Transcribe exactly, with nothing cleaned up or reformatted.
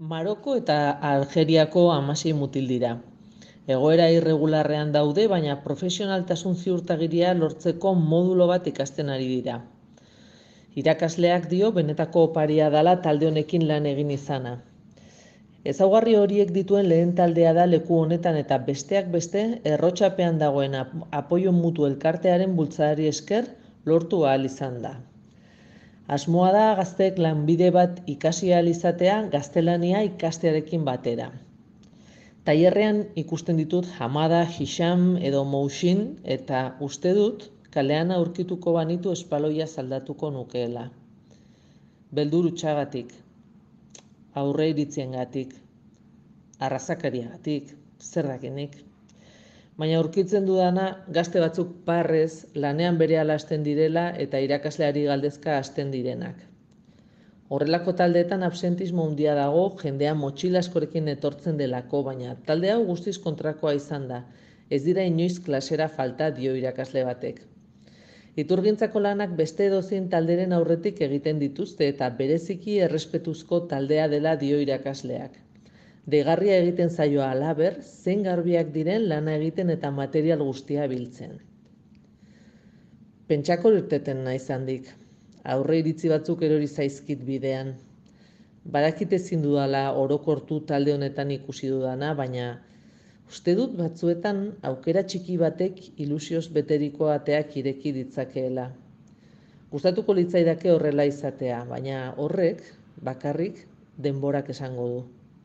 Maroko eta Algeriako hamasei mutil dira. Egoera irregularrean daude, baina profesionaltasun ziurtagiria lortzeko modulo bat ikasten ari dira. Irakasleak dio benetako oparia dela talde honekin lan egin izana. Ezaugarri horiek dituen lehen taldea da leku honetan eta besteak beste errotxapean dagoen apoio mutu elkartearen bultzadari esker lortu ahal izan da. Asmoa da gazteek lanbide bat ikasi ahal izatea gaztelania ikastearekin batera. Tailerrean ikusten ditut Hamada, Hisham edo Mousin eta uste dut kalean aurkituko banitu espaloia saldatuko nukeela. Beldur hutsagatik, aurre iritziengatik, arrazakariagatik, zer dakinik. Baina aurkitzen dudana gazte batzuk parrez lanean berehala hasten direla eta irakasleari galdezka hasten direnak. Horrelako taldeetan absentismo handia dago, jendea motxila askorekin etortzen delako, baina talde hau guztiz kontrakoa izan da. Ez dira inoiz klasera falta dio irakasle batek. Iturgintzako lanak beste edozein talderen aurretik egiten dituzte eta bereziki errespetuzko taldea dela dio irakasleak. Deigarria egiten zaioa halaber, zein garbiak diren lana egiten eta material guztia biltzen. Pentsako irteten naiz handik. Aurre iritzi batzuk erori zaizkit bidean. Badakit ezin dudala orokortu talde honetan ikusi dudana, baina uste dut batzuetan aukera txiki batek ilusioz beteriko ateak ireki ditzakeela. Gustatuko litzaidake horrela izatea, baina horrek bakarrik denborak esango du.